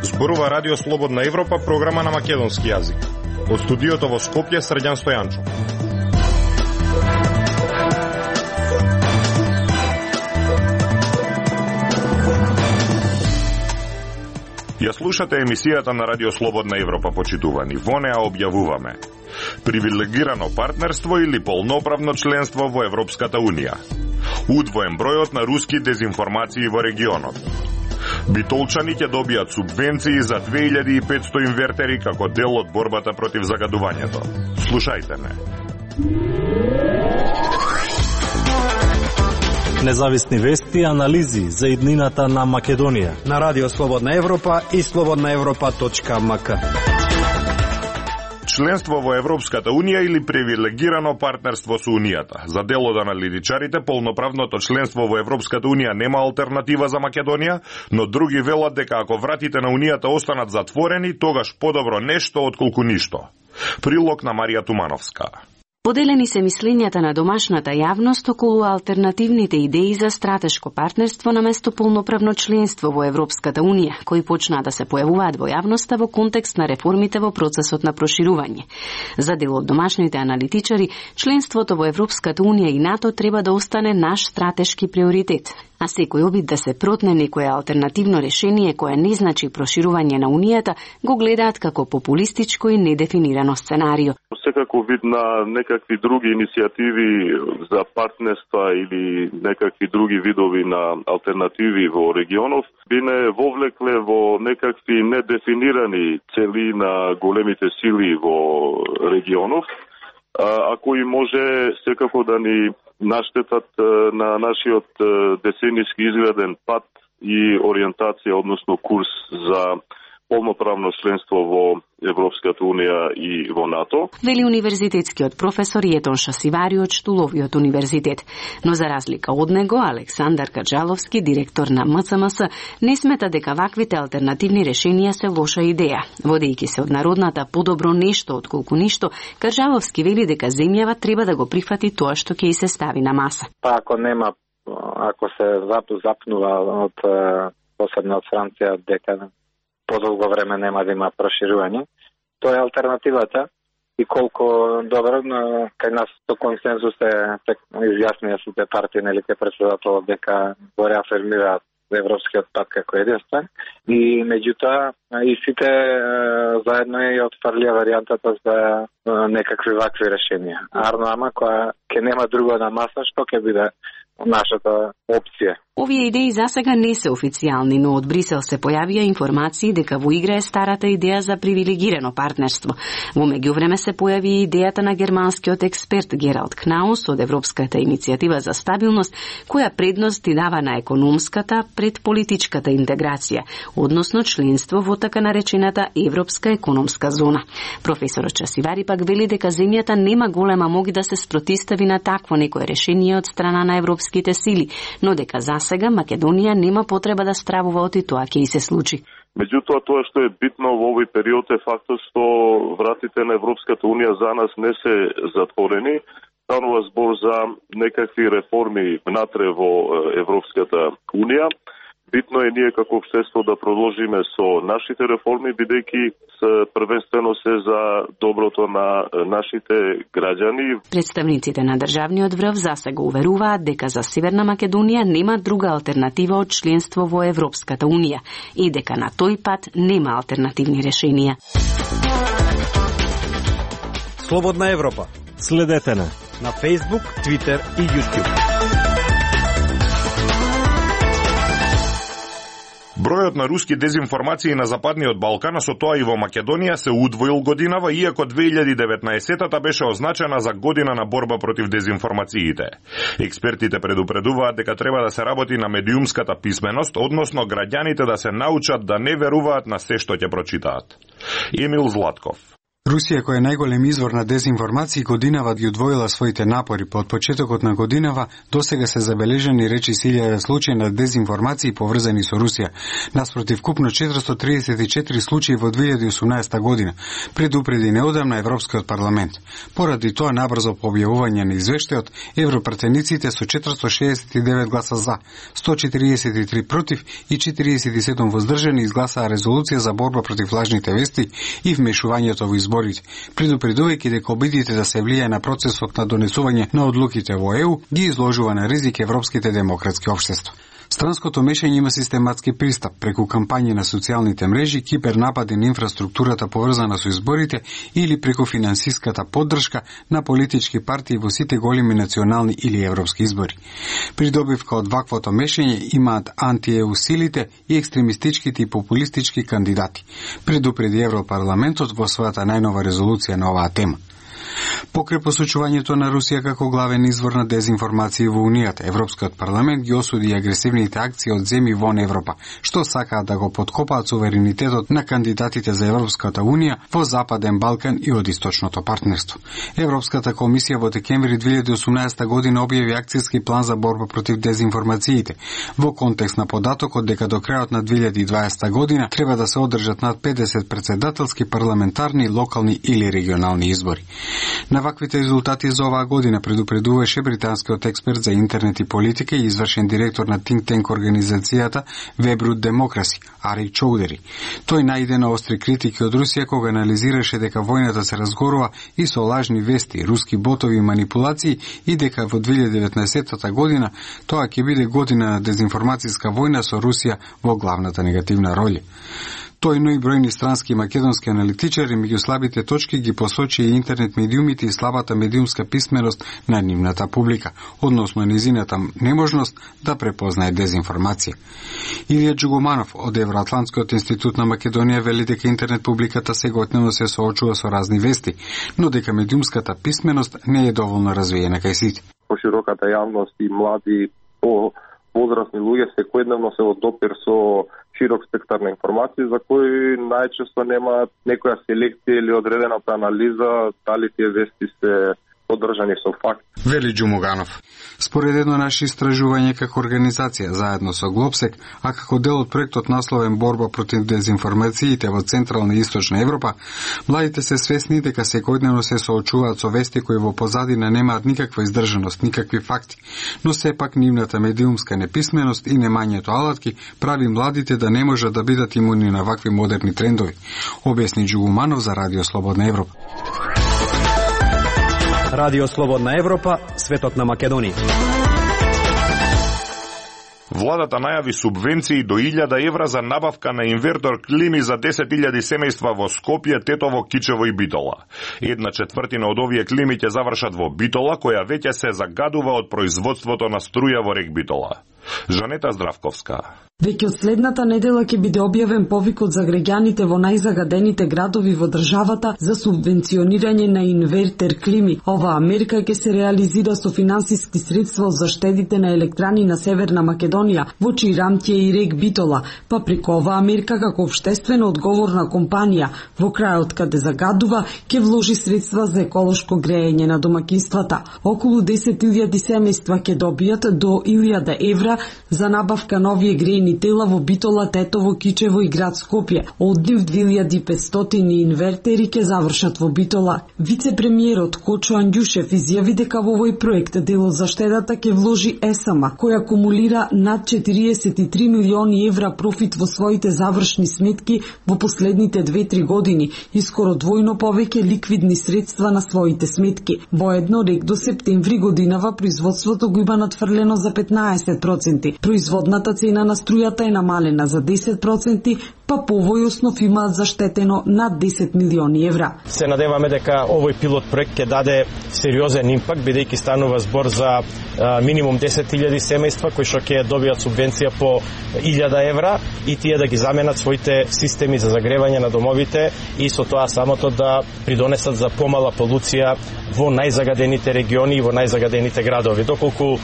Зборува Радио Слободна Европа, програма на македонски јазик. Од студиото во Скопје, Срđan Стојанчо. Ја слушате емисијата на Радио Слободна Европа, почитувани. Во неа објавуваме привилегирано партнерство или полноправно членство во Европската Унија. Удвоен бројот на руски дезинформации во регионот. Битолчани ќе добијат субвенции за 2500 инвертери како дел од борбата против загадувањето. Слушајте не. Независни вести и анализи за иднината на Македонија на Радио Слободна Европа и slobodnaevropa.mk. Членство во Европската Унија или привилегирано партнерство со Унијата. За дел од аналитичарите, полноправното членство во Европската Унија нема алтернатива за Македонија, но други велат дека ако вратите на Унијата останат затворени, тогаш подобро нешто отколку ништо. Прилог на Марија Тумановска. Поделени се мислењата на домашната јавност околу алтернативните идеи за стратешко партнерство наместо полноправно членство во Европската Унија, кои почнаа да се појавуваат во јавноста во контекст на реформите во процесот на проширување. За дел од домашните аналитичари, членството во Европската Унија и НАТО треба да остане наш стратешки приоритет, а секој обид да се протне некое алтернативно решение кое не значи проширување на Унијата, го гледаат како популистичко и недефинирано сценарио. Секако вид на некакви други иницијативи за партнерства или некакви други видови на алтернативи во регионов би не вовлекле во некакви недефинирани цели на големите сили во регионов, а кои може секако да ни наштетат на нашиот деценијски изграден пат и ориентација, односно курс за полноправно членство во Европската Унија и во НАТО. Вели универзитетскиот професор Јетон Шасивари од Штуловиот универзитет. Но за разлика од него, Александар Каджаловски, директор на МЦМС, не смета дека ваквите алтернативни решенија се лоша идеја. Водејќи се од народната подобро нешто отколку ништо, Каджаловски вели дека земјава треба да го прифати тоа што ќе и се стави на маса. Па ако се запнува од посебно од Франција дека подолго време нема да има проширување, тоа е алтернативата и колку добро, кај нас со консензус изјаснија сите партии, нели, ке претседателот дека го реафирмираат европскиот пат како единствен и меѓутоа и сите заедно и отфрлија варијантата за некакви вакви решенија. Арно ама која ке нема друго на маса, што ќе биде нашата опција. Овие идеи засега не се официјални, но од Брисел се појавија информации дека во игра е старата идеја за привилегирано партнерство. Во меѓувреме се појави идејата на германскиот експерт Гералд Кнаус од Европската иницијатива за стабилност, која предност ти дава на економската пред политичката интеграција, односно членство во така наречената Европска економска зона. Професорот Часивари пак вели дека земјата нема голема моќ да се спротистави на такво некое решение од страна на европските сили, но дека сега Македонија нема потреба да стравува од и тоа ќе и се случи. Меѓутоа, тоа што е битно во овој период е фактот што вратите на Европската Унија за нас не се затворени. Станува збор за некакви реформи внатре во Европската Унија. Битно е ние како општество да продолжиме со нашите реформи, бидејќи првенствено се за доброто на нашите граѓани. Представниците на државниот врв засега уверуваат дека за Северна Македонија нема друга алтернатива од членство во Европската Унија и дека на тој пат нема алтернативни решенија. Слободна Европа. Следете на Facebook, Twitter и YouTube. Бројот на руски дезинформации на Западниот Балкан, со тоа и во Македонија, се удвоил годинава, иако 2019-та беше означена за година на борба против дезинформациите. Експертите предупредуваат дека треба да се работи на медиумската писменост, односно граѓаните да се научат да не веруваат на се што ќе прочитаат. Емил Златков. Русија, која е најголем извор на дезинформации, годинава ги удвоила своите напори. По почетокот на годинава досега се забележани речи 1000 случаи на дезинформации поврзани со Русија, наспротив купно 434 случаи во 2018 година, предупреди неодамна Европскиот парламент. Поради тоа, набрзо по објавување на извештајот, европратениците со 469 гласа за, 143 против и 47 воздржани изгласаа резолуција за борба против лажните вести и вмешувањето во изборите, предупредувајќи дека обидите да се влијае на процесот на донесување на одлуките во ЕУ ги изложува на ризик европските демократски општества. Странското мешање има систематски пристап преку кампањи на социјалните мрежи, кибернапади на инфраструктурата поврзана со изборите или преку финансиската поддршка на политички партии во сите големи национални или европски избори. Придобивка од ваквото мешање имаат анти-ЕУ силите и екстремистичките и популистички кандидати, предупреди Европарламентот во својата најнова резолуција на оваа тема. Покрај посочувањето на Русија како главен извор на дезинформации во Унијата, Европскиот парламент ги осуди агресивните акции од земји вон Европа, што сакаат да го поткопаат суверенитетот на кандидатите за Европската Унија во Западен Балкан и од Источното партнерство. Европската комисија во декември 2018 година објави акцијски план за борба против дезинформациите, во контекст на податокот дека до крајот на 2020 година треба да се одржат над 50 председателски, парламентарни, локални или регионални избори. На ваквите резултати за оваа година предупредуваше британскиот експерт за интернет и политика и извршен директор на think tank организацијата Webroot Democracy, Арик Чоудери. Тој најде на остри критики од Русија кога анализираше дека војната се разгорува и со лажни вести, руски ботови и манипулации и дека во 2019 година тоа ќе биде година на дезинформацијска војна со Русија во главната негативна роља. Тој, но и бројни странски и македонски аналитичари меѓу слабите точки ги посочи и интернет медиумите и слабата медиумска писменост на нивната публика, односно низината неможност да препознае дезинформација. Илија Джугуманов од Евроатлантскиот институт на Македонија вели дека интернет публиката секојдневно се соочува со разни вести, но дека медиумската писменост не е доволно развиена кај сите. Пошироката јавност и млади возрастни луѓе секојдневно се во допир со широк спектар на информации за кои најчесто немаат некоја селекција или одредената анализа дали тие вести се поддржани со факт. Вели Джумуганов. Според едно наше истражување како организација заедно со Глобсек, а како дел од проектот насловен Борба против дезинформациите во Централна и Источна Европа, младите се свесни дека секојдневно се соочуваат со вести кои во позадина немаат никаква издржаност, никакви факти, но сепак нивната медиумска неписменост и немањето алатки прави младите да не можат да бидат имуни на вакви модерни трендови, објасни Джугуманов за Радио Слободна Европа. Радио Слободна Европа, светот на Македонија. Владата најави субвенции до 1000 евра за набавка на инвертор клими за 10.000 семејства во Скопје, Тетово, Кичево и Битола. 1/4 од овие клими ќе завршат во Битола, која веќе се загадува од производството на струја во рек Битола. Жанета Здравковска. Веќе од следната недела ќе биде објавен повикот за граѓаните во најзагадените градови во државата за субвенционирање на инвертер клими. Оваа мерка ќе се реализира со финансиски средства од заштедите на електрани на Северна Македонија, во Чирамтија и рек Битола, па преку оваа мерка како општествено одговорна компанија во крајот каде загадува ќе вложи средства за еколошко грејење на домаќинствата. Околу 10.000 семејства ќе добијат до 1000 евра за набавка на овие грејни тела во Битола, Тетово, Кичево и град Скопје. Од нив 2500 инвертери ќе завршат во Битола. Вице-премиерот Кочо Андјушев изјави дека во овој проект дел од заштедата ќе вложи ЕСАМА, која акумулира над 43 милиони евра профит во своите завршни сметки во последните 2-3 години и скоро двојно повеќе ликвидни средства на своите сметки. Воедно, рек до септември годинава производството го има надфрлено за 15%. Производната цена на струјата е намалена за 10%, па по овој основ имаат заштетено над 10 милиони евра. Се надеваме дека овој пилот проект ќе даде сериозен импакт, бидејќи станува збор за минимум 10.000 семејства кои што ќе добијат субвенција по 1000 евра и тие да ги заменат своите системи за загревање на домовите и со тоа самото да придонесат за помала полуција во најзагадените региони и во најзагадените градови. Доколку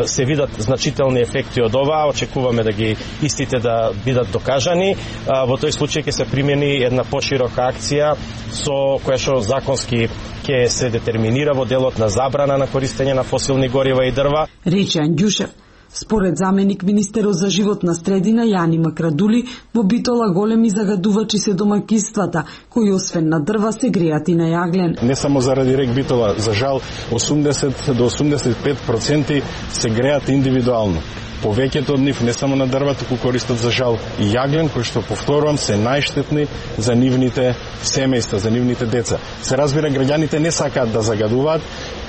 се видат значителни ефекти од ова, очекуваме да ги истите да бидат докажани страни, во тој случај ќе се примени една поширока акција со која што законски ќе се детерминира во делот на забрана на користење на фосилни горива и дрва. Рече Андјушев. Според заменик министерот за животна средина Јани Макрадули, во Битола големи загадувачи се домаќинствата, кои освен на дрва се греат и на јаглен. Не само заради рек Битола, за жал 80 до 85% се греат индивидуално. Повеќето од нив не само на дрва, туку користат за жал и јаглен, кои што повторувам се најштетни за нивните семејства, за нивните деца. Се разбира, граѓаните не сакаат да загадуваат,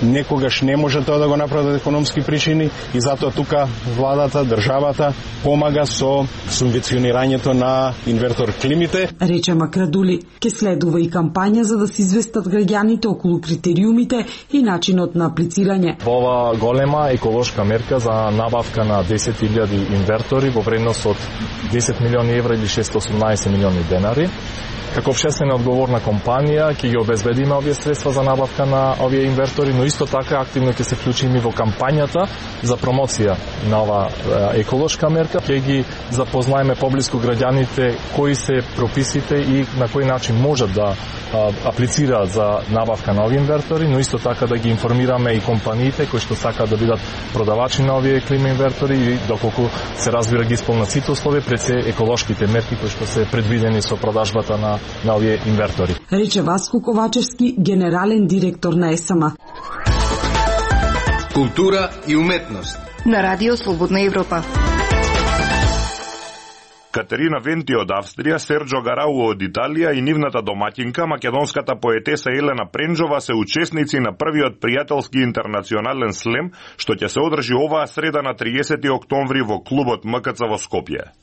некогаш не може тоа да го направат економски причини и затоа тука владата, државата помага со субвенционирањето на инвертор климите. Рече Макрадули, ке следува и кампања за да се известат граѓаните околу критериумите и начинот на аплицирање. Во ова голема еколошка мерка за набавка на 10.000 инвертори во вредност од 10 милиони евра или 618 милиони денари. Како општествено одговорна компанија ќе ги обезбедиме овие средства за набавка на овие инвертори, но исто така активно ќе се вклучиме во кампањата за промоција на ова еколошка мерка. Ќе ги запознаеме поблиску граѓаните кои се прописите и на кој начин можат да аплицираат за набавка на овие инвертори, но исто така да ги информираме и компаниите кои што сакаат да бидат продавачи на овие клима инвертори и доколку се разбира ги исполнат сите услови пред се еколошките мерки кои што се предвидени со продажбата на овие инвертори. Рече Васко Ковачевски, генерален директор на ЕСАМА. Култура и уметност на Радио Слободна Европа. Катерина Венти од Австрија, Серджо Гарау од Италија и нивната домаќинка, македонската поетеса Елена Пренџова се учесници на првиот пријателски интернационален слем, што ќе се одржи оваа среда на 30 октомври во клубот МКЦ во Скопје.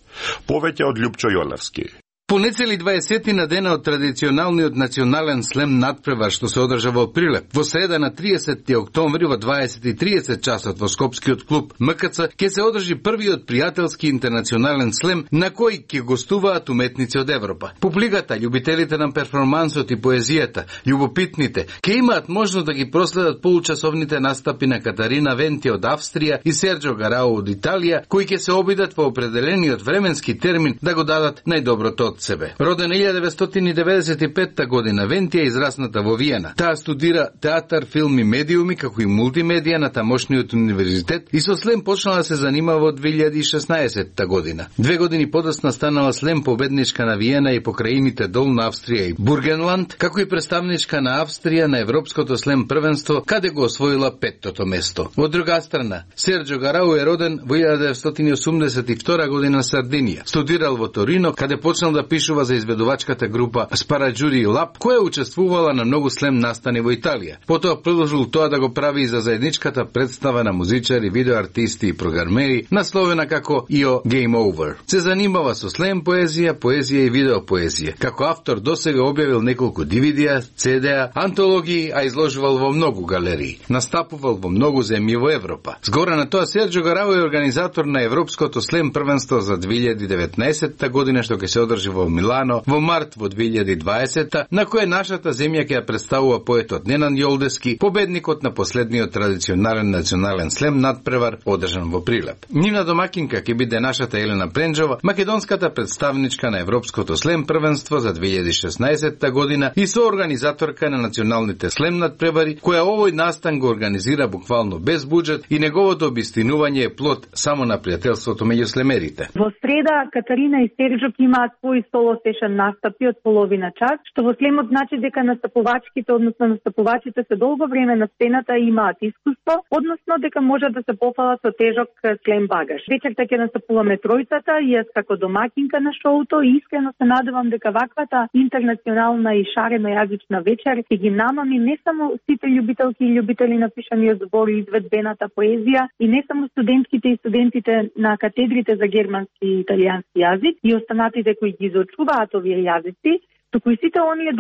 Повеќе од Љупчо Јолевски. Понецели 20 на дена од традиционалниот национален слем надпревар што се одржа во Прилеп, во среда на 30 октомври во 20:30 часот во Скопскиот клуб МКЦ ќе се одржи првиот пријателски интернационален слем на кој ќе гостуваат уметници од Европа. Публиката, љубителите на перформансот и поезијата, љубопитните, ќе имаат можност да ги проследат получасовните настапи на Катарина Венти од Австрија и Серджо Гарау од Италија, кои ќе се обидат во определениот временски термин да го дадат најдоброто од себе. Роден 1995 година, Венти е израсната во Виена. Таа студира театар, филм и медиуми, како и мултимедија на тамошниот универзитет и со слем почнала да се занимава во 2016 година. 2 години подоцна станала слем победничка на Виена и покраините Долна Австрија и Бургенланд, како и представничка на Австрија на Европското слем првенство, каде го освоила 5-тото место. Од друга страна, Серджо Гарау е роден во 1982 година на Сардинија. Студирал во Торино, каде почнал да пишува за изведувачката група Спараџури Лаб, која учествувала на многу слем настани во Италија. Потоа продолжил тоа да го прави и за заедничката представа на музичари, видеоартисти и програмери, насловена како IO Game Over. Се занимава со слем поезија, поезија и видеопоезија. Како автор досега објавил неколку DVD-а, CD-а, антологии, а изложувал во многу галерии. Настапувал во многу земји во Европа. Згора на тоа, Серджо Гарау е организатор на Европското слем првенство за 2019 година, што ќе се одржи во Милано во март во 2020, на кој нашата земја ќе ја представува поетот Ненан Јолдески, победникот на последниот традиционален национален слем надпревар одржан во Прилеп. Нивна домакинка ќе биде нашата Елена Пренџова, македонската представничка на Европското слем првенство за 2016 година и соорганизаторка на националните слем надпревари, која овој настан го организира буквално без буџет и неговото обистинување е плод само на пријателството меѓу слемерите. Во среда Катарина и Серджо имаат свој соло сешен настапи од половина час, што во слемот значи дека настапувачките, односно настапувачите се долго време на сцената и имаат искуство, односно дека можат да се пофалат со тежок слем багаж. Вечерта ќе настапуваме тројцата и јас како домакинка на шоуто и искрено се надевам дека ваквата интернационална и шарено јазична вечер ќе ги намами не само сите љубителки и љубители на пишаниот збор и изведбената поезија и не само студентките и студентите на катедрите за германски и италијански јазик и останатите кои ги изучуваат овие јазици, туку и сите оние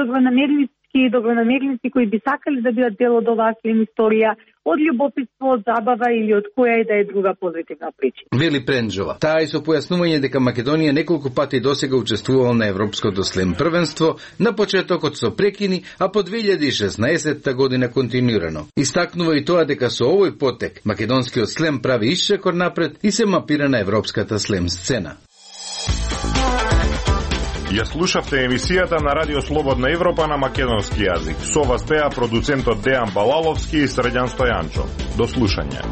добронамерници кои би сакали да бидат дел од оваа слем историја, од љубопитство, од забава или од која и да е друга позитивна причина. Вели Пренџова. Таа и со појаснување дека Македонија неколку пати досега учествувала на Европското слем првенство, на почетокот со прекини, а по 2016 година континуирано. Истакнува и тоа дека со овој потек македонскиот слем прави исчекор напред и се мапира на европската слем сцена. Ја слушавте емисијата на Радио Слободна Европа на македонски јазик. Со вас беа продуцентот Дејан Балаловски и Средјан Стојанчо. До слушање.